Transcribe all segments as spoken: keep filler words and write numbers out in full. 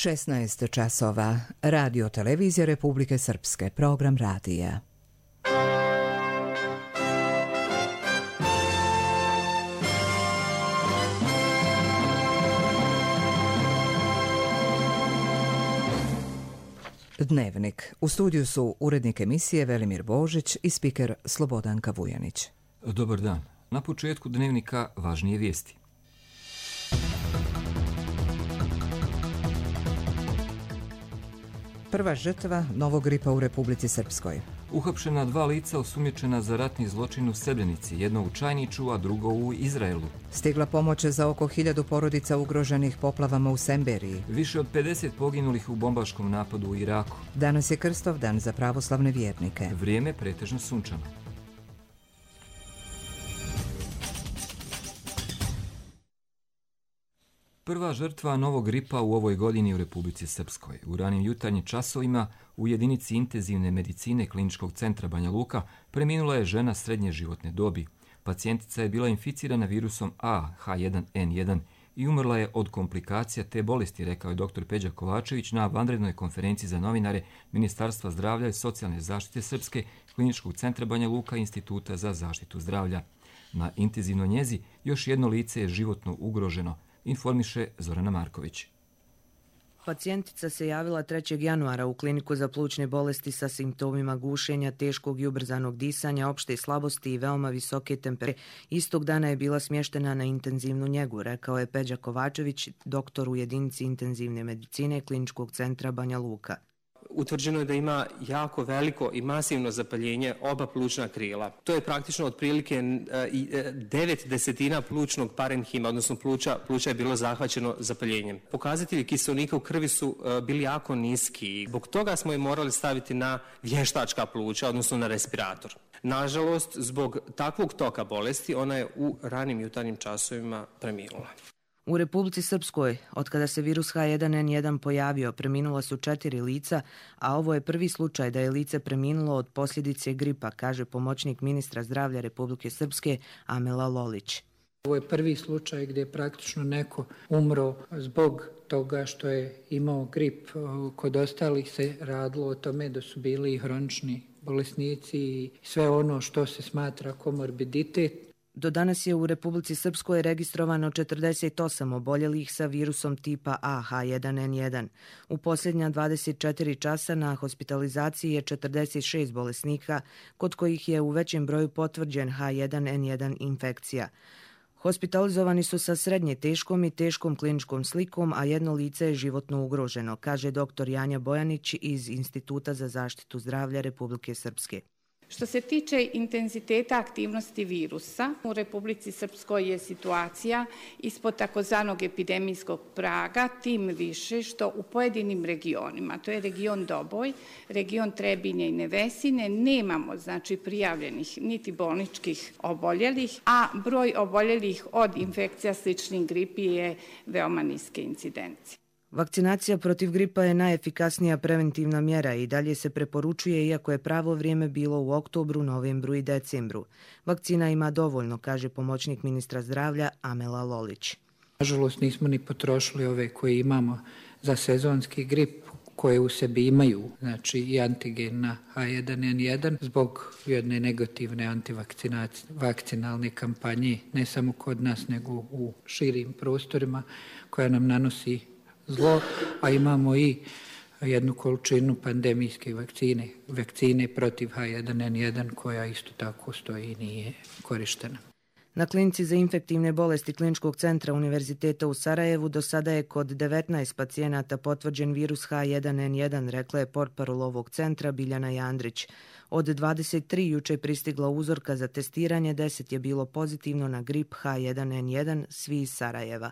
šesnaest časova. Radio televizija Republike Srpske. Program radija. Dnevnik. U studiju su urednik emisije Velimir Božić i spiker Slobodanka Vujanić. Dobar dan. Na početku dnevnika važnije vijesti. Prva žrtva novog gripa u Republici Srpskoj. Uhapšena dva lica osumnjičena za ratni zločin u Srebrenici, jedno u Čajniču, a drugo u Izraelu. Stigla pomoć za oko hiljadu porodica ugroženih poplavama u Semberiji. Više od pedeset poginulih u bombaškom napadu u Iraku. Danas je Krstov dan za pravoslavne vjernike. Vrijeme pretežno sunčano. Prva žrtva novog gripa u ovoj godini u Republici Srpskoj. U ranim jutarnjim časovima u jedinici intenzivne medicine Kliničkog centra Banja Luka preminula je žena srednje životne dobi. Pacijentica je bila inficirana virusom A H jedan N jedan i umrla je od komplikacija te bolesti, rekao je doktor Peđa Kovačević na vanrednoj konferenciji za novinare Ministarstva zdravlja i socijalne zaštite Srpske, Kliničkog centra Banja Luka i Instituta za zaštitu zdravlja. Na intenzivnoj njezi još jedno lice je životno ugroženo, informiše Zorana Marković. Pacijentica se javila trećeg januara u kliniku za plućne bolesti sa simptomima gušenja, teškog i ubrzanog disanja, opšte slabosti i veoma visoke temperature. Istog dana je bila smještena na intenzivnu njegu, rekao je Peđa Kovačević, doktor u jedinici intenzivne medicine Kliničkog centra Banja Luka. Utvrđeno je da ima jako veliko i masivno zapaljenje oba plućna krila. To je praktično otprilike devet desetina plućnog parenhima, odnosno pluća, pluća je bilo zahvaćeno zapaljenjem. Pokazatelji kiseonika u krvi su bili jako niski. Zbog toga smo je morali staviti na vještačka pluća, odnosno na respirator. Nažalost, zbog takvog toka bolesti, ona je u ranim jutarnjim časovima preminula. U Republici Srpskoj, otkada se virus H jedan N jedan pojavio, preminula su četiri lica, a ovo je prvi slučaj da je lice preminulo od posljedice gripa, kaže pomoćnik ministra zdravlja Republike Srpske Amela Lolić. Ovo je prvi slučaj gdje je praktično neko umro zbog toga što je imao grip. Kod ostalih se radilo o tome da su bili hronični bolesnici i sve ono što se smatra komorbiditet. Do danas je u Republici Srpskoj registrovano četrdeset osam oboljelih sa virusom tipa A H jedan N jedan. U posljednja dvadeset četiri časa na hospitalizaciji je četrdeset šest bolesnika, kod kojih je u većem broju potvrđen H jedan N jedan infekcija. Hospitalizovani su sa srednje teškom i teškom kliničkom slikom, a jedno lice je životno ugroženo, kaže doktor Janja Bojanić iz Instituta za zaštitu zdravlja Republike Srpske. Što se tiče intenziteta aktivnosti virusa, u Republici Srpskoj je situacija ispod takozvanog epidemijskog praga, tim više što u pojedinim regionima, to je region Doboj, region Trebinje i Nevesine, nemamo znači prijavljenih niti bolničkih oboljelih, a broj oboljelih od infekcija sličnih gripi je veoma niske incidencije. Vakcinacija protiv gripa je najefikasnija preventivna mjera i dalje se preporučuje, iako je pravo vrijeme bilo u oktobru, novembru i decembru. Vakcina ima dovoljno, kaže pomoćnik ministra zdravlja Amela Lolić. Nažalost, nismo ni potrošili ove koje imamo za sezonski grip, koje u sebi imaju, znači i antigen na H jedan N jedan, zbog jedne negativne antivakcinalne kampanje, ne samo kod nas, nego u širim prostorima, koja nam nanosi zlo, a imamo i jednu količinu pandemijske vakcine, vakcine protiv H jedan N jedan, koja isto tako stoji i nije korištena. Na klinici za infektivne bolesti Kliničkog centra Univerziteta u Sarajevu do sada je kod devetnaest pacijenata potvrđen virus H jedan N jedan, rekla je portparol ovog centra Biljana Jandrić. Od dvadeset tri juče pristigla uzorka za testiranje, deset je bilo pozitivno na grip H jedan N jedan, svi iz Sarajeva.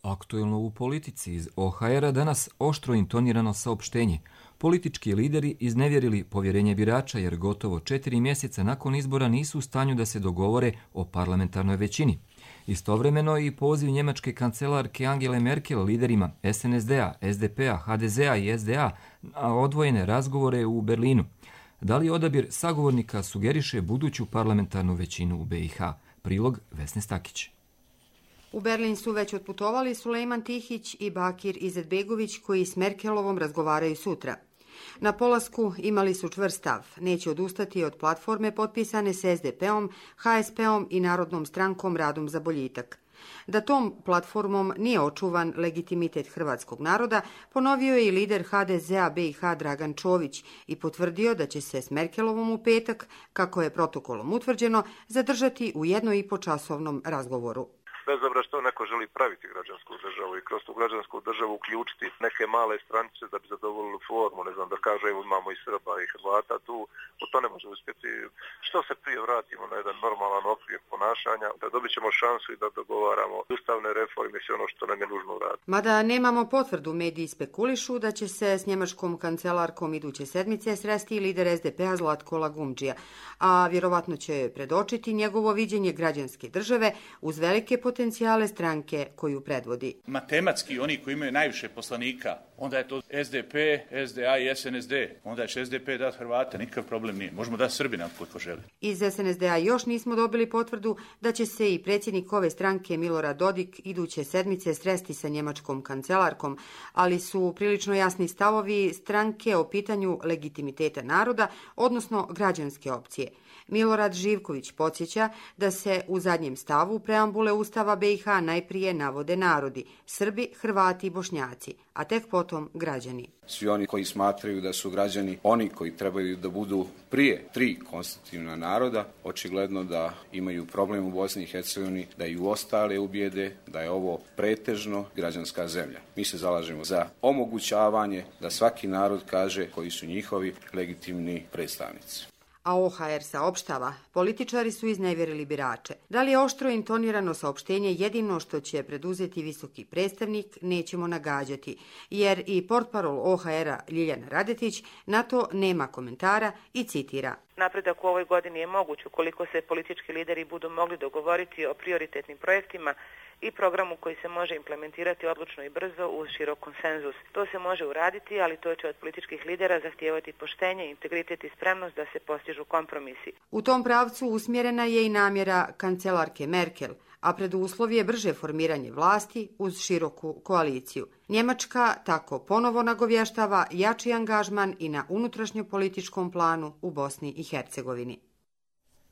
Aktuelno u politici iz O H R-a danas oštro intonirano saopštenje. Politički lideri iznevjerili povjerenje birača jer gotovo četiri mjeseca nakon izbora nisu u stanju da se dogovore o parlamentarnoj većini. Istovremeno i poziv njemačke kancelarke Angele Merkel liderima S N S D-a, S D P-a, H D Z-a i S D A na odvojene razgovore u Berlinu. Da li odabir sagovornika sugeriše buduću parlamentarnu većinu u B i H? Prilog Vesne Stakić. U Berlin su već otputovali Sulejman Tihić i Bakir Izetbegović koji s Merkelovom razgovaraju sutra. Na polasku imali su čvrst stav, neće odustati od platforme potpisane s es de pe-om, ha es pe-om i Narodnom strankom Radom za boljitak. Da tom platformom nije očuvan legitimitet hrvatskog naroda, ponovio je i lider ha de ze-a be i ha Dragan Čović i potvrdio da će se s Merkelovom u petak, kako je protokolom utvrđeno, zadržati u jedno i po časovnom razgovoru. Bez obzira što neko želi praviti građansku državu i kroz tu građansku državu uključiti neke male stranice da bi zadovoljili formu, ne znam, da kaže evo imamo i Srba i Hrvata tu, to ne može uspjeti. Što se prije vratimo na jedan normalan okvir ponašanja, da dobit ćemo šansu i da dogovaramo ustavne reforme i sve ono što nam je nužno uraditi. Mada nemamo potvrdu, mediji spekulišu da će se s njemačkom kancelarkom iduće sedmice sresti lider es de pe-a Zlatko Lagumdžija, a vjerovatno će predočiti njegovo viđenje građanske države uz velike potencijale stranke koju predvodi. Matematski oni koji imaju najviše poslanika, onda je to es de pe, es de a i es en es de. Onda će es de pe dati Hrvate, nikakav problem nije. Možemo dati Srbina koliko želi. Iz es en es de-a još nismo dobili potvrdu da će se i predsjednik ove stranke Milorad Dodik iduće sedmice sresti sa njemačkom kancelarkom, ali su prilično jasni stavovi stranke o pitanju legitimiteta naroda, odnosno građanske opcije. Milorad Živković podsjeća da se u zadnjem stavu preambule Ustava be i ha najprije navode narodi, Srbi, Hrvati i Bošnjaci, a tek potom građani. Svi oni koji smatraju da su građani oni koji trebaju da budu prije tri konstitutivna naroda, očigledno da imaju problem u Bosni i Hercegovini, da i u ostale ubijede da je ovo pretežno građanska zemlja. Mi se zalažemo za omogućavanje da svaki narod kaže koji su njihovi legitimni predstavnici. A o ha er saopštava, političari su iznevjerili birače. Da li je oštro intonirano saopštenje jedino što će preduzeti visoki predstavnik, nećemo nagađati, jer i portparol o ha era Ljiljana Radetić na to nema komentara i citira. Napredak u ovoj godini je moguć ukoliko se politički lideri budu mogli dogovoriti o prioritetnim projektima i programu koji se može implementirati odlučno i brzo uz širok konsenzus. To se može uraditi, ali to će od političkih lidera zahtijevati poštenje, integritet i spremnost da se postižu kompromisi. U tom pravcu usmjerena je i namjera kancelarke Merkel, a preduslov je brže formiranje vlasti uz široku koaliciju. Njemačka tako ponovo nagovještava jači angažman i na unutrašnjopolitičkom planu u Bosni i Hercegovini.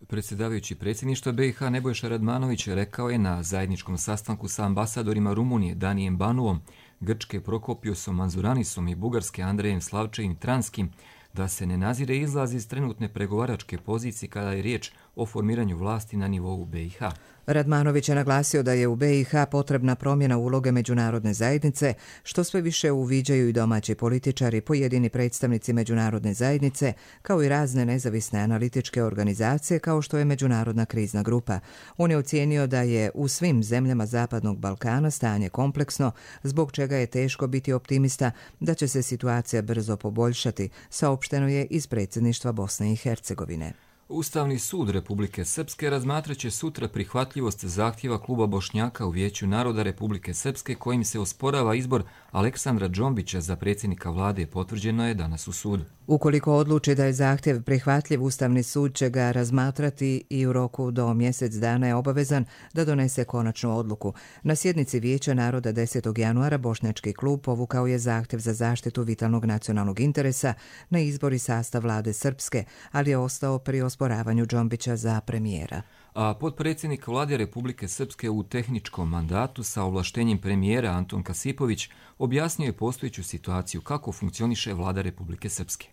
Predsjedavajući predsjedništva be i ha Nebojša Radmanović rekao je na zajedničkom sastanku sa ambasadorima Rumunije Danijem Banuom, Grčke Prokopiosom Manzuranisom i Bugarske Andrejem Slavčevim Transkim da se ne nazire izlaz iz trenutne pregovaračke pozicije kada je riječ o formiranju vlasti na nivou be i ha. Radmanović je naglasio da je u be i ha potrebna promjena uloge međunarodne zajednice, što sve više uviđaju i domaći političari, pojedini predstavnici međunarodne zajednice, kao i razne nezavisne analitičke organizacije kao što je Međunarodna krizna grupa. On je ocijenio da je u svim zemljama Zapadnog Balkana stanje kompleksno, zbog čega je teško biti optimista da će se situacija brzo poboljšati, saopšteno je iz predsjedništva Bosne i Hercegovine. Ustavni sud Republike Srpske razmatraće sutra prihvatljivost zahtjeva kluba Bošnjaka u Vijeću naroda Republike Srpske kojim se osporava izbor Aleksandra Džombića za predsjednika vlade, potvrđeno je danas u sudu. Ukoliko odluči da je zahtjev prihvatljiv, Ustavni sud će ga razmatrati i u roku do mjesec dana je obavezan da donese konačnu odluku. Na sjednici Vijeća naroda desetog januara Bošnjački klub povukao je zahtjev za zaštitu vitalnog nacionalnog interesa na izbor i sastav vlade Srpske, ali je ostao pri osporavanju Džombića za premijera. A potpredsjednik vlade Republike Srpske u tehničkom mandatu sa ovlaštenjem premijera Anton Kasipović objasnio je postojeću situaciju kako funkcioniše vlada Republike Srpske.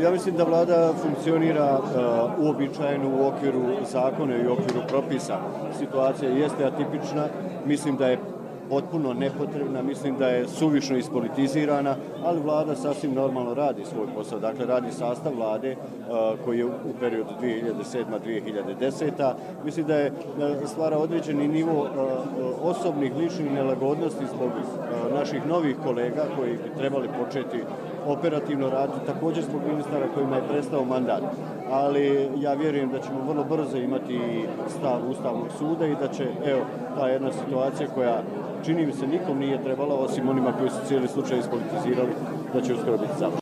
Ja mislim da vlada funkcionira uh, uobičajeno u okviru zakona i u okviru propisa. Situacija jeste atipična, mislim da je potpuno nepotrebna, mislim da je suvišno ispolitizirana, ali vlada sasvim normalno radi svoj posao. Dakle, radi sastav vlade uh, koji je u periodu dvije hiljade sedma do dvije hiljade deseta. Mislim da je uh, stvara određeni nivo uh, osobnih ličnih nelagodnosti zbog uh, naših novih kolega koji bi trebali početi operativno raditi, također zbog ministara kojima je prestao mandat. Ali ja vjerujem da ćemo vrlo brzo imati stav Ustavnog suda i da će, evo, ta jedna situacija koja čini mi se nikom nije trebala, osim onima koji su cijeli slučaj ispolitizirali, da će uskoro biti završeno.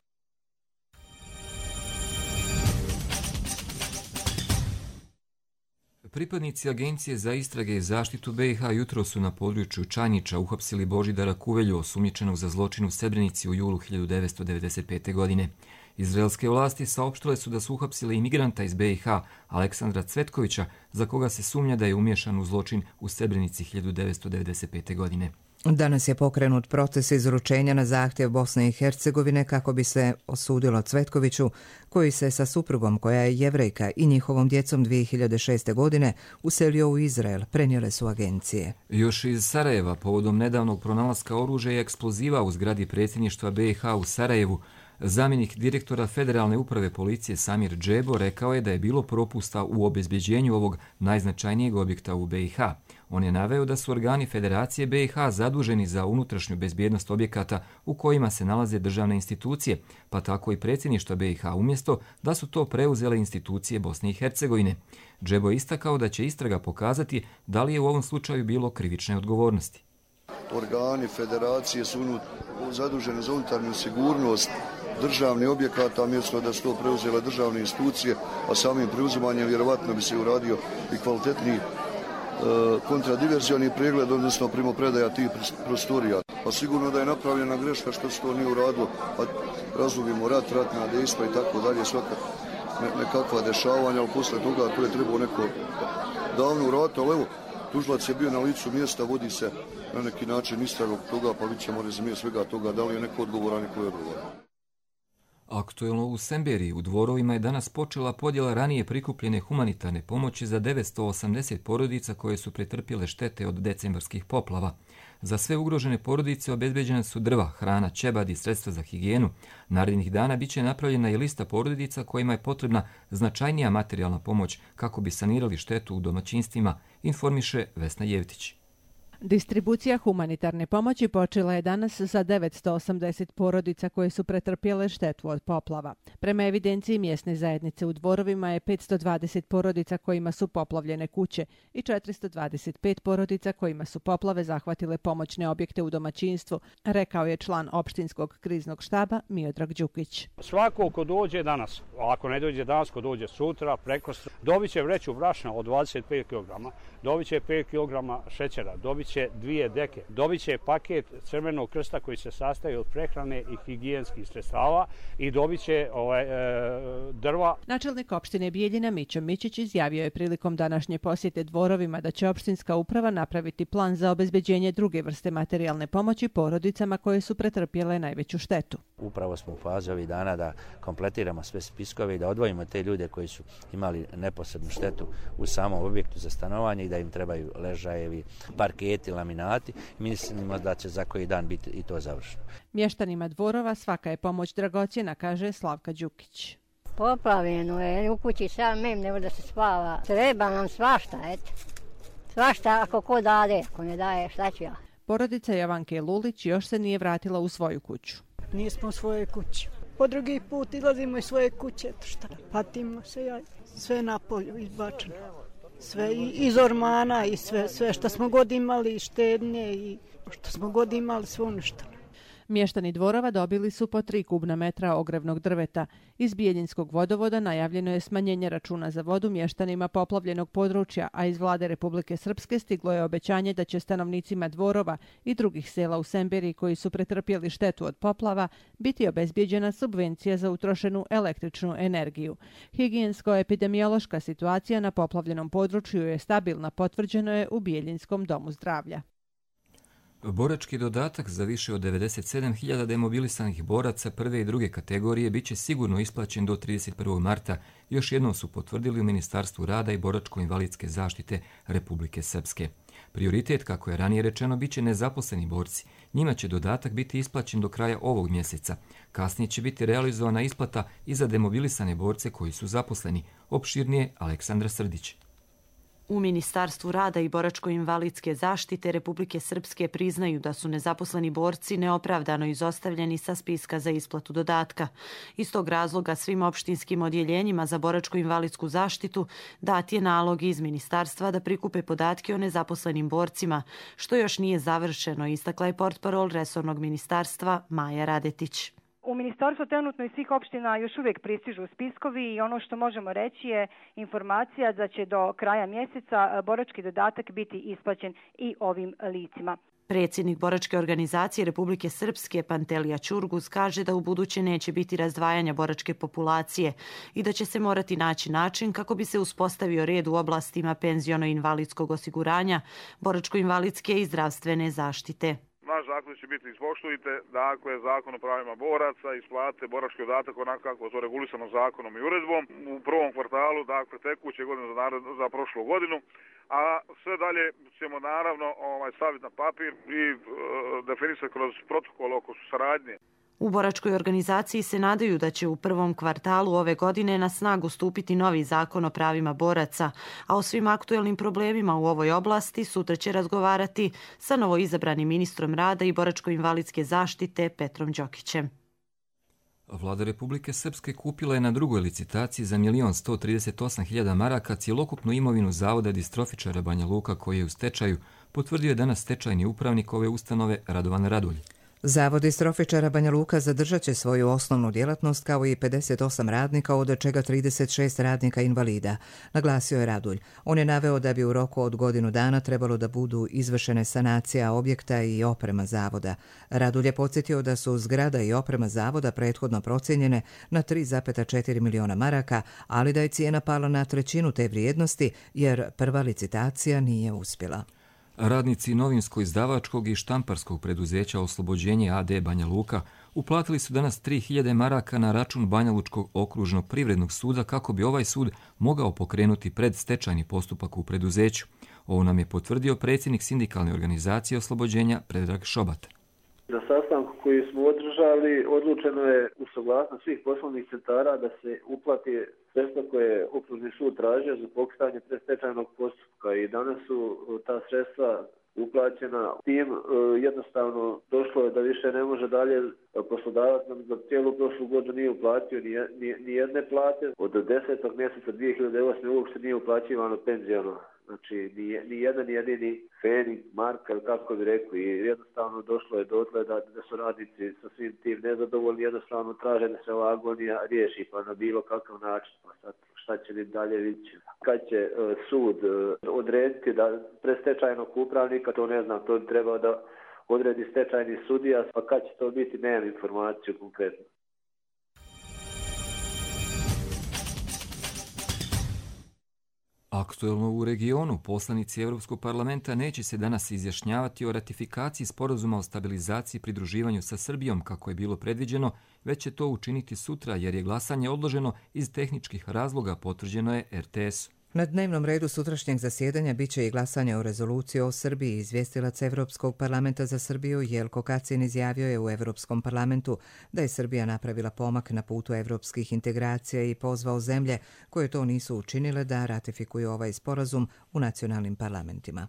Pripadnici Agencije za istrage i zaštitu B i H jutro su na području Čanjića uhapsili Božidara Kuvelju, osumnjičenog za zločin u Srebrenici u julu hiljadu devetsto devedeset pete. godine. Izraelske vlasti saopštile su da su uhapsili imigranta iz B i H, Aleksandra Cvetkovića, za koga se sumnja da je umiješan u zločin u Srebrenici hiljadu devetsto devedeset pete. godine. Danas je pokrenut proces izručenja na zahtjev Bosne i Hercegovine kako bi se osudilo Cvetkoviću, koji se sa suprugom, koja je Jevrejka, i njihovom djecom dvije hiljade šeste. godine uselio u Izrael, prenijele su agencije. Još iz Sarajeva, povodom nedavnog pronalaska oružja i eksploziva u zgradi predsjedništva B i H u Sarajevu, zamjenik direktora Federalne uprave policije Samir Džebo rekao je da je bilo propusta u obezbeđenju ovog najznačajnijeg objekta u B i H. On je naveo da su organi Federacije B i H zaduženi za unutrašnju bezbjednost objekata u kojima se nalaze državne institucije, pa tako i predsjedništva B i H, umjesto da su to preuzele institucije Bosne i Hercegovine. Džebo je istakao da će istraga pokazati da li je u ovom slučaju bilo krivične odgovornosti. Organi Federacije su zaduženi za unutarnju sigurnost državnih objekata, mjesto da su to preuzele državne institucije, a samim preuzimanjem vjerovatno bi se uradio i kvalitetniji e, kontradiverzioni pregled, odnosno primopredaja tih prostorija. Pa sigurno da je napravljena greška što se to nije uradilo, pa razlogimo rat, ratna dejstva i tako dalje, svaka ne, nekakva dešavanja, ali posle toga to je trebao neko davno uraditi, ali evo, tužilac je bio na licu mjesta, vodi se na neki način istraga toga, pa vidjet ćemo rezime svega toga, da li je neko odgovoran i ko je odgovoran. Aktuelno u Semberiji u Dvorovima je danas počela podjela ranije prikupljene humanitarne pomoći za devetsto osamdeset porodica koje su pretrpjele štete od decembarskih poplava. Za sve ugrožene porodice obezbeđene su drva, hrana, ćebad i sredstva za higijenu. Narednih dana biće napravljena i lista porodica kojima je potrebna značajnija materijalna pomoć kako bi sanirali štetu u domaćinstvima, informiše Vesna Jevtić. Distribucija humanitarne pomoći počela je danas za devetsto osamdeset porodica koje su pretrpjele štetu od poplava. Prema evidenciji mjesne zajednice u Dvorovima je petsto dvadeset porodica kojima su poplavljene kuće i četiristo dvadeset pet porodica kojima su poplave zahvatile pomoćne objekte u domaćinstvu, rekao je član opštinskog kriznog štaba Miodrag Đukić. Svako ko dođe danas, ako ne dođe danas, ko dođe sutra, prekosutra, dobit će vreću brašna od dvadeset pet kilograma, dobit će pet kilograma šećera, dobit će dvije deke, dobit će paket Crvenog krsta koji se sastoji od prehrane i higijenskih sredstava i dobit će ovaj, e, drva. Načelnik opštine Bijeljina Mićo Mićić izjavio je prilikom današnje posjete Dvorovima da će opštinska uprava napraviti plan za obezbeđenje druge vrste materijalne pomoći porodicama koje su pretrpjele najveću štetu. Upravo smo u fazi ovih dana da kompletiramo sve spiskove i da odvojimo te ljude koji su imali neposrednu štetu u samom objektu za stanovanje i da im trebaju ležajevi, parketi, laminati. Mislimo da će za koji dan biti i to završeno. Mještanima Dvorova svaka je pomoć dragocjena, kaže Slavka Đukić. Poplavljeno je, u kući sam mem, nego da se spava. Treba nam svašta, eto. Svašta ako ko dade, ako ne daje, šta ću ja? Porodica Jovanke Lulić još se nije vratila u svoju kuću. Nismo u svojoj kući. Po drugi put izlazimo iz svoje kuće, eto šta, patimo se, ja, sve na polju izbačeno. Sve iz ormana i sve, sve što smo god imali, štednje i što smo god imali, sve uništeno. Mještani Dvorova dobili su po tri kubna metra ogrevnog drveta. Iz Bijeljinskog vodovoda najavljeno je smanjenje računa za vodu mještanima poplavljenog područja, a iz vlade Republike Srpske stiglo je obećanje da će stanovnicima Dvorova i drugih sela u Semberiji koji su pretrpjeli štetu od poplava biti obezbijeđena subvencija za utrošenu električnu energiju. Higijensko-epidemiološka situacija na poplavljenom području je stabilna, potvrđeno je u Bijeljinskom domu zdravlja. Borački dodatak za više od devedeset sedam hiljada demobilisanih boraca prve i druge kategorije biće sigurno isplaćen do trideset prvog marta, još jednom su potvrdili u Ministarstvu rada i boračko-invalidske zaštite Republike Srpske. Prioritet, kako je ranije rečeno, biće nezaposleni borci. Njima će dodatak biti isplaćen do kraja ovog mjeseca. Kasnije će biti realizovana isplata i za demobilisane borce koji su zaposleni. Opširnije Aleksandra Srdić. U Ministarstvu rada i boračko-invalidske zaštite Republike Srpske priznaju da su nezaposleni borci neopravdano izostavljeni sa spiska za isplatu dodatka. Iz tog razloga svim opštinskim odjeljenjima za boračko-invalidsku zaštitu dat je nalog iz Ministarstva da prikupe podatke o nezaposlenim borcima, što još nije završeno, istakla je portparol resornog ministarstva Maja Radetić. U ministarstvu trenutno iz svih opština još uvijek pristižu spiskovi i ono što možemo reći je informacija da će do kraja mjeseca borački dodatak biti isplaćen i ovim licima. Predsjednik boračke organizacije Republike Srpske Pantelija Ćurguz kaže da u buduće neće biti razdvajanja boračke populacije i da će se morati naći način kako bi se uspostavio red u oblastima penziono-invalidskog osiguranja, boračko-invalidske i zdravstvene zaštite. Naš zakon će biti ispoštujte, dakle, zakon o pravima boraca, isplate borački dodatak onako kako je to regulisano zakonom i uredbom u prvom kvartalu, dakle, tekuće godine za, narod, za prošlu godinu, a sve dalje ćemo naravno ovaj, staviti na papir i e, definisati kroz protokol oko saradnje. U boračkoj organizaciji se nadaju da će u prvom kvartalu ove godine na snagu stupiti novi zakon o pravima boraca, a o svim aktuelnim problemima u ovoj oblasti sutra će razgovarati sa novoizabranim ministrom rada i boračko-invalidske zaštite Petrom Đokićem. Vlada Republike Srpske kupila je na drugoj licitaciji za milion sto trideset osam hiljada maraka cjelokupnu imovinu Zavoda distrofičara Banja Luka koji je u stečaju, potvrdio je danas stečajni upravnik ove ustanove Radovan Radulj. Zavod distrofičara Banja Luka zadržat će svoju osnovnu djelatnost kao i pedeset osam radnika, od čega trideset šest radnika invalida, naglasio je Radulj. On je naveo da bi u roku od godinu dana trebalo da budu izvršene sanacija objekta i oprema zavoda. Radulj je podsjetio da su zgrada i oprema zavoda prethodno procijenjene na tri zarez četiri miliona maraka, ali da je cijena pala na trećinu te vrijednosti jer prva licitacija nije uspjela. Radnici novinsko-izdavačkog i štamparskog preduzeća Oslobođenje a d Banja Luka uplatili su danas tri hiljade maraka na račun Banjalučkog okružnog privrednog suda kako bi ovaj sud mogao pokrenuti predstečajni postupak u preduzeću. Ovo nam je potvrdio predsjednik sindikalne organizacije Oslobođenja Predrag Šobat. Na sastanku koji smo održali odlučeno je u saglasnost svih poslovnih centara da se uplati sredstva koje je okružni sud tražio za pokretanje predstečajnog postupka i danas su ta sredstva uplaćena. Tim jednostavno došlo je da više ne može dalje poslodavac nam za cijelu prošlu godinu nije uplatio ni jedne plate. Od desetog mjeseca dvije hiljade osme uopšte nije uplaćivano penzijano. Znači, ni jedan jedini fening, marka, kako bi rekli, i jednostavno došlo je dotle da, da su radnici sa svim tim nezadovoljni, jednostavno traže da se ova agonija riješi, pa na bilo kakav način, pa sad šta će li dalje vidjeti. Kad će uh, sud uh, odrediti da predstečajnog upravnika, to ne znam, to bi trebao da odredi stečajni sudija, pa kad će to biti, nemam informaciju konkretno. Aktuelno u regionu, poslanici Europskog parlamenta neće se danas izjašnjavati o ratifikaciji sporazuma o stabilizaciji i pridruživanju sa Srbijom kako je bilo predviđeno, već će to učiniti sutra jer je glasanje odloženo iz tehničkih razloga, potvrđeno je er te esu. Na dnevnom redu sutrašnjeg zasjedanja biće i glasanje o rezoluciji o Srbiji. Izvjestilac Evropskog parlamenta za Srbiju Jelko Kacin izjavio je u Evropskom parlamentu da je Srbija napravila pomak na putu evropskih integracija i pozvao zemlje koje to nisu učinile da ratifikuju ovaj sporazum u nacionalnim parlamentima.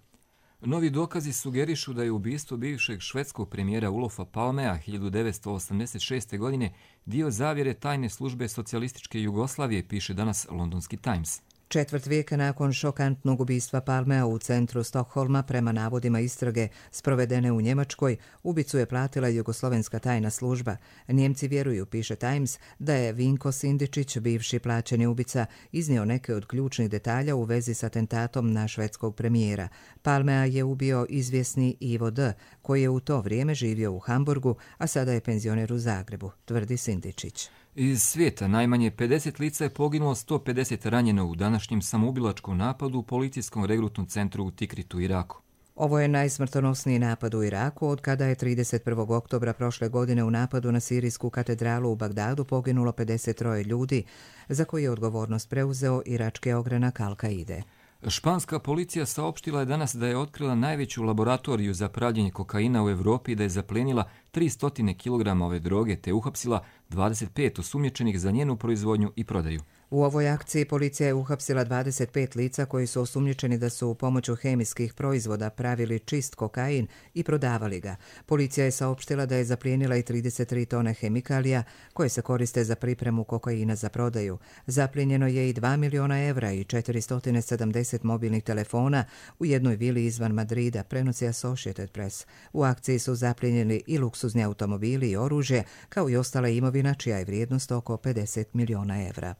Novi dokazi sugerišu da je ubistvo bivšeg švedskog premijera Olofa Palmea hiljadu devetsto osamdeset šeste. godine dio zavjere tajne službe socijalističke Jugoslavije, piše danas Londonski Times. Četvrt vijeka nakon šokantnog ubistva Palmea u centru Stokholma, prema navodima istrage sprovedene u Njemačkoj, ubicu je platila jugoslovenska tajna služba. Njemci vjeruju, piše Times, da je Vinko Sindičić, bivši plaćeni ubica, iznio neke od ključnih detalja u vezi s atentatom na švedskog premijera. Palmea je ubio izvjesni Ivo D., koji je u to vrijeme živio u Hamburgu, a sada je penzioner u Zagrebu, tvrdi Sindičić. Iz svijeta najmanje pedeset lica je poginulo, sto pedeset ranjeno u današnjem samoubilačkom napadu u policijskom regrutnom centru u Tikritu, Iraku. Ovo je najsmrtonosniji napad u Iraku od kada je trideset prvog oktobra prošle godine u napadu na sirijsku katedralu u Bagdadu poginulo pedeset troje ljudi, za koji je odgovornost preuzeo irački ogranak Al-Kaide. Španska policija saopštila je danas da je otkrila najveću laboratoriju za pravljenje kokaina u Evropi i da je zaplenila tristo kilograma ove droge te uhapsila dvadeset pet osumnjičenih za njenu proizvodnju i prodaju. U ovoj akciji policija je uhapsila dvadeset pet lica koji su osumnjičeni da su pomoću hemijskih proizvoda pravili čist kokain i prodavali ga. Policija je saopštila da je zaplijenila i trideset tri tone hemikalija koje se koriste za pripremu kokaina za prodaju. Zaplijenjeno je i dva miliona evra i četiristo sedamdeset mobilnih telefona u jednoj vili izvan Madrida, prenosi Associated Press. U akciji su zaplijenjeni i luksuzni automobili i oružje, kao i ostala imovina čija je vrijednost oko pedeset miliona evra.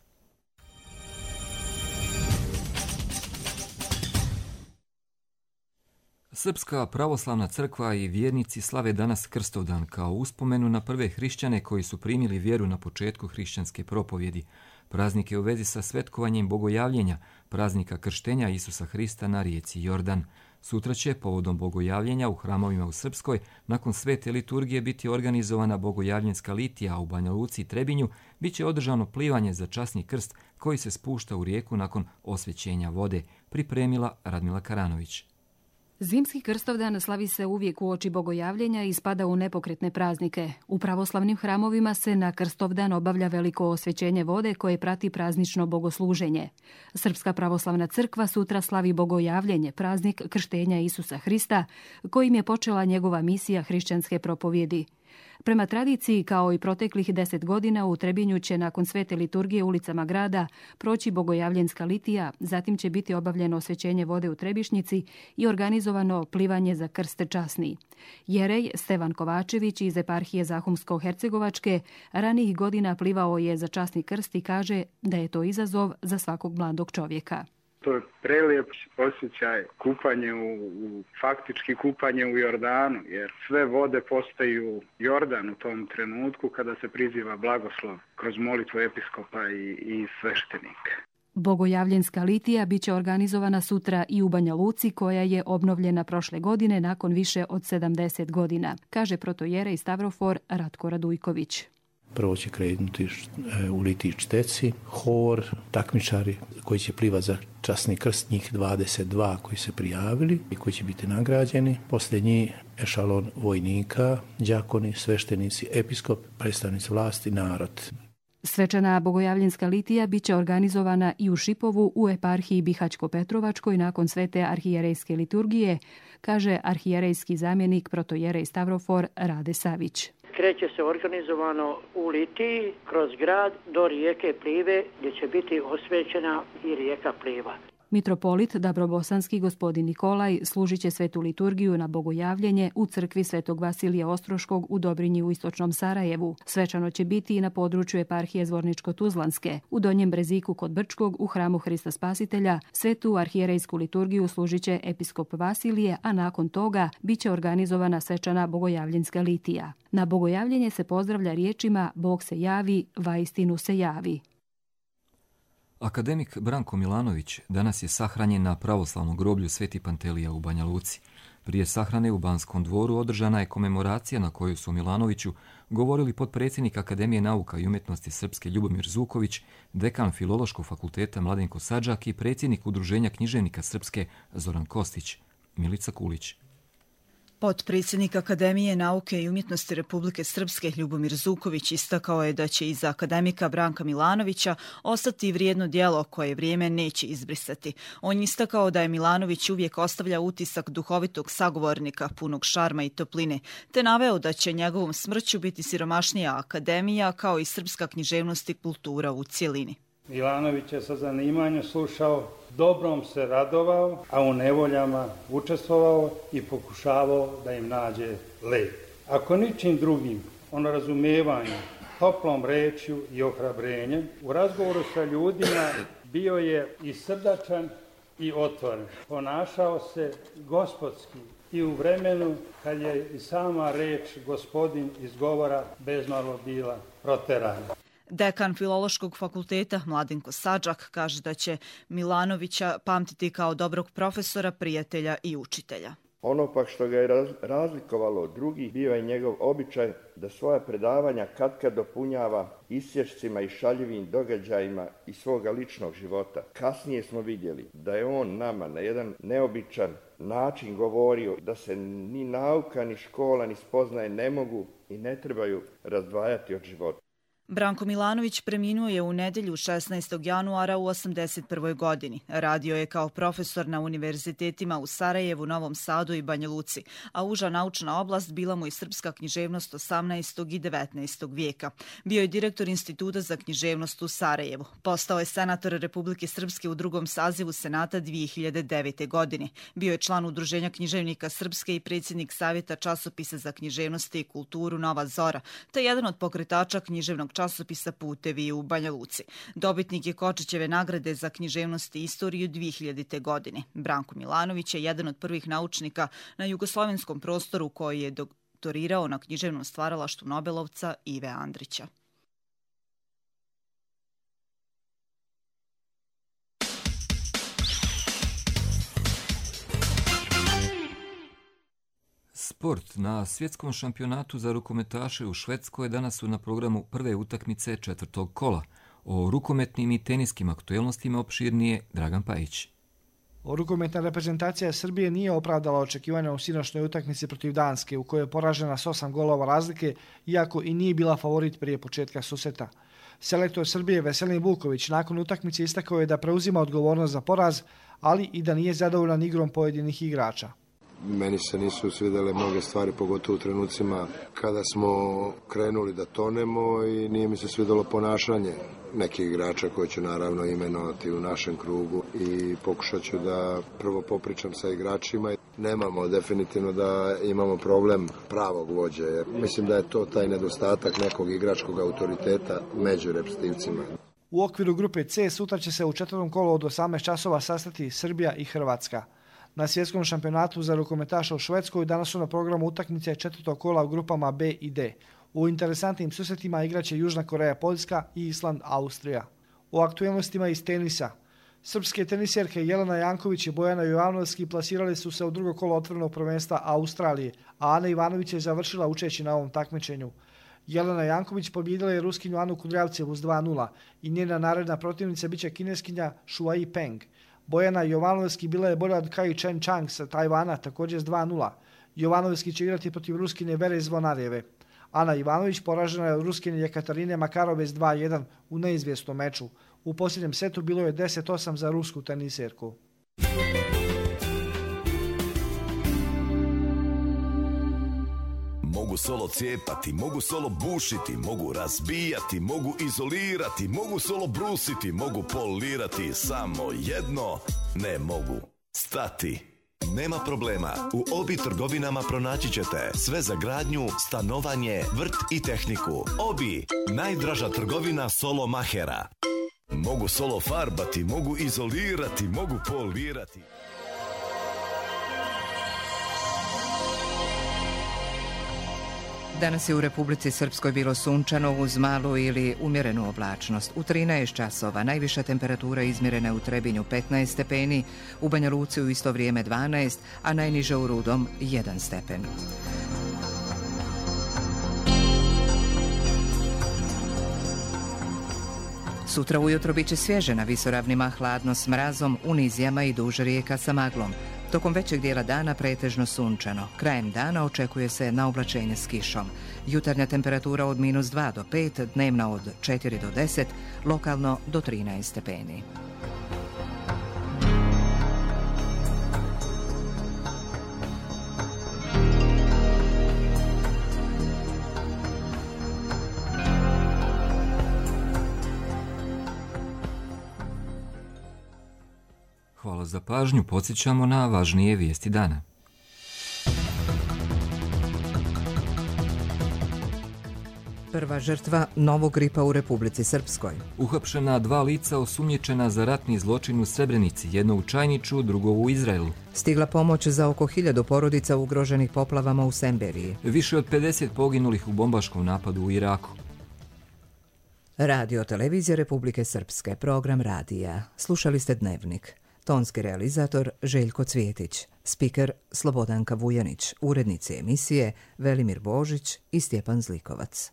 Srpska pravoslavna crkva i vjernici slave danas Krstovdan kao uspomenu na prve hrišćane koji su primili vjeru na početku hrišćanske propovjedi. Praznik je u vezi sa svetkovanjem bogojavljenja, praznika krštenja Isusa Hrista na rijeci Jordan. Sutra će, povodom bogojavljenja u hramovima u Srpskoj, nakon svete liturgije biti organizovana bogojavljenska litija, a u Banja Luci i Trebinju bit će održano plivanje za časni krst koji se spušta u rijeku nakon osvećenja vode, pripremila Radmila Karanović. Zimski Krstovdan slavi se uvijek uoči bogojavljenja i spada u nepokretne praznike. U pravoslavnim hramovima se na Krstovdan obavlja veliko osvećenje vode koje prati praznično bogosluženje. Srpska pravoslavna crkva sutra slavi bogojavljenje, praznik krštenja Isusa Hrista, kojim je počela njegova misija hrišćanske propovjedi. Prema tradiciji, kao i proteklih deset godina, u Trebinju će nakon svete liturgije ulicama grada proći bogojavljenska litija, zatim će biti obavljeno osvećenje vode u Trebišnjici i organizovano plivanje za krst časni. Jerej Stevan Kovačević iz eparhije Zahumsko-Hercegovačke ranijih godina plivao je za časni krst i kaže da je to izazov za svakog mladog čovjeka. To je prelijep osjećaj kupanje u, u faktički kupanje u Jordanu, jer sve vode postaju Jordan u tom trenutku kada se priziva blagoslov kroz molitvu episkopa i, i sveštenika. Bogojavljenska litija biće organizovana sutra i u Banja Luci, koja je obnovljena prošle godine nakon više od sedamdeset godina, kaže protojerej Stavrofor Ratko Radujković. Prvo će krenuti u litiji čteci, hor, takmičari koji će plivati za časni krst, njih dvadeset dva koji se prijavili i koji će biti nagrađeni. Poslije njih ešalon vojnika, đakoni, sveštenici, episkop, predstavnici vlasti, narod. Svečana bogojavljenska litija biće organizovana i u Šipovu u eparhiji Bihaćko-Petrovačkoj nakon svete arhijerejske liturgije, kaže arhijerejski zamjenik protojerej Stavrofor Rade Savić. Kreće se organizovano u litiji kroz grad do rijeke Plive gdje će biti osvećena i rijeka Pliva. Mitropolit Dabrobosanski gospodin Nikolaj služit će svetu liturgiju na bogojavljenje u crkvi Svetog Vasilija Ostroškog u Dobrinji u istočnom Sarajevu. Svečano će biti i na području eparhije Zvorničko-Tuzlanske. U Donjem Breziku kod Brčkog u hramu Hrista Spasitelja svetu arhijerejsku liturgiju služit će episkop Vasilije, a nakon toga bit će organizovana svečana bogojavljenska litija. Na bogojavljenje se pozdravlja riječima Bog se javi, vaistinu se javi. Akademik Branko Milanović danas je sahranjen na pravoslavnom groblju Sveti Pantelija u Banja Luci. Prije sahrane u Banskom dvoru održana je komemoracija na kojoj su Milanoviću govorili potpredsjednik Akademije nauka i umjetnosti Srpske Ljubomir Zuković, dekan Filološkog fakulteta Mladenko Sadžak i predsjednik Udruženja književnika Srpske Zoran Kostić. Milica Kulić. Potpredsjednik Akademije nauke i umjetnosti Republike Srpske Ljubomir Zuković istakao je da će iza akademika Branka Milanovića ostati vrijedno djelo koje vrijeme neće izbrisati. On je istakao da je Milanović uvijek ostavlja utisak duhovitog sagovornika punog šarma i topline, te naveo da će njegovom smrću biti siromašnija akademija kao i srpska književnost i kultura u cjelini. Milanović je sa zanimanjem slušao, dobrom se radovao, a u nevoljama učestvovao i pokušavao da im nađe lek. Ako ničim drugim, ono razumijevanje, toplom rečju i ohrabrenjem, u razgovoru sa ljudima bio je i srdačan i otvoren. Ponašao se gospodski i u vremenu kad je i sama reč gospodin izgovora bezmalo bila proterana. Dekan Filološkog fakulteta Mladenko Sadžak kaže da će Milanovića pamtiti kao dobrog profesora, prijatelja i učitelja. Ono pak što ga je razlikovalo od drugih bio je njegov običaj da svoja predavanja katkad dopunjava isječcima i šaljivim događajima iz svoga ličnog života. Kasnije smo vidjeli da je on nama na jedan neobičan način govorio da se ni nauka, ni škola, ni spoznaje ne mogu i ne trebaju razdvajati od života. Branko Milanović preminuo je u nedjelju šesnaestog januara u osamdeset prvoj godini. Radio je kao profesor na univerzitetima u Sarajevu, Novom Sadu i Banja Luci, a uža naučna oblast bila mu i srpska književnost osamnaestog i devetnaestog vijeka. Bio je direktor Instituta za književnost u Sarajevu. Postao je senator Republike Srpske u drugom sazivu Senata dvije hiljade devete. godine. Bio je član Udruženja književnika Srpske i predsjednik Savjeta časopisa za književnost i kulturu Nova Zora, te jedan od pokretača književnog časopisa Putevi u Banja Luci. Dobitnik je Kočićeve nagrade za književnost i istoriju dvije hiljadite. godine. Branko Milanović je jedan od prvih naučnika na jugoslovenskom prostoru koji je doktorirao na književnom stvaralaštvu Nobelovca Ive Andrića. Sport. Na svjetskom šampionatu za rukometaše u Švedskoj danas su na programu prve utakmice četvrtog kola. O rukometnim i teniskim aktuelnostima opširnije Dragan Pajić. Rukometna reprezentacija Srbije nije opravdala očekivanja u sinoćnoj utakmici protiv Danske, u kojoj je poražena s osam golova razlike, iako i nije bila favorit prije početka susreta. Selektor Srbije Veselin Vuković nakon utakmice istakao je da preuzima odgovornost za poraz, ali i da nije zadovoljan igrom pojedinih igrača. Meni se nisu svidjele mnoge stvari, pogotovo u trenucima kada smo krenuli da tonemo, i nije mi se svidjelo ponašanje nekih igrača koje ću naravno imenovati u našem krugu i pokušat ću da prvo popričam sa igračima. Nemamo definitivno da imamo problem pravog vođe, jer mislim da je to taj nedostatak nekog igračkog autoriteta među reprezentativcima. U okviru grupe C sutra će se u četvrtom kolu od osamnaest časova sastati Srbija i Hrvatska. Na svjetskom šampionatu za rukometaša u Švedskoj danas su na programu utakmice četvrtog kola u grupama B i D. U interesantnim susretima igraće Južna Koreja, Poljska i Island, Austrija. O aktualnostima iz tenisa. Srpske teniserke Jelena Janković i Bojana Jovanovski plasirali su se u drugo kolo otvorenog prvenstva Australije, a Ana Ivanović je završila učeći na ovom takmičenju. Jelena Janković pobjedila je Ruskinju Anu Kudrjavcevu s dva nula i njena naredna protivnica biće Kineskinja Shuai Peng. Bojana Jovanovski bila je bolja od Kai Chen Chang sa Tajvana, također s dva nula. Jovanovski će igrati protiv Ruskine Vere Zvonarjeve. Ana Ivanović poražena je od Ruskine Jekaterine Makarove s dva jedan u neizvjesnom meču. U posljednjem setu bilo je deset osam za rusku teniserku. Mogu solo cijepati, mogu solo bušiti, mogu razbijati, mogu izolirati, mogu solo brusiti, mogu polirati, samo jedno ne mogu stati. Nema problema, u Obi trgovinama pronaći ćete sve za gradnju, stanovanje, vrt i tehniku. Obi, najdraža trgovina solo mahera. Mogu solo farbati, mogu izolirati, mogu polirati. Danas je u Republici Srpskoj bilo sunčano uz malu ili umjerenu oblačnost. U trinaest časova najviša temperatura izmjerena je u Trebinju petnaest stepeni, u Banja Luci u isto vrijeme dvanaest, a najniže u Rudom jedan stepen. Sutra ujutro bit će svježe na visoravnima, hladno s mrazom, u nizijama i duž rijeka sa maglom. Tokom većeg dijela dana pretežno sunčano. Krajem dana očekuje se naoblačenje s kišom. Jutarnja temperatura od minus dva do pet, dnevna od četiri do deset, lokalno do trinaest stepeni. Hvala za pažnju, podsjećamo na važnije vijesti dana. Prva žrtva novog gripa u Republici Srpskoj. Uhapšena dva lica osumnjičena za ratni zločin u Srebrenici, jedno u Čajniču, drugo u Izraelu. Stigla pomoć za oko hiljadu porodica ugroženih poplavama u Semberiji. Više od pedeset poginulih u bombaškom napadu u Iraku. Radio televizija Republike Srpske, program radija. Slušali ste Dnevnik. Tonski realizator Željko Cvjetić, spiker Slobodanka Vujanić, urednici emisije Velimir Božić i Stjepan Zlikovac.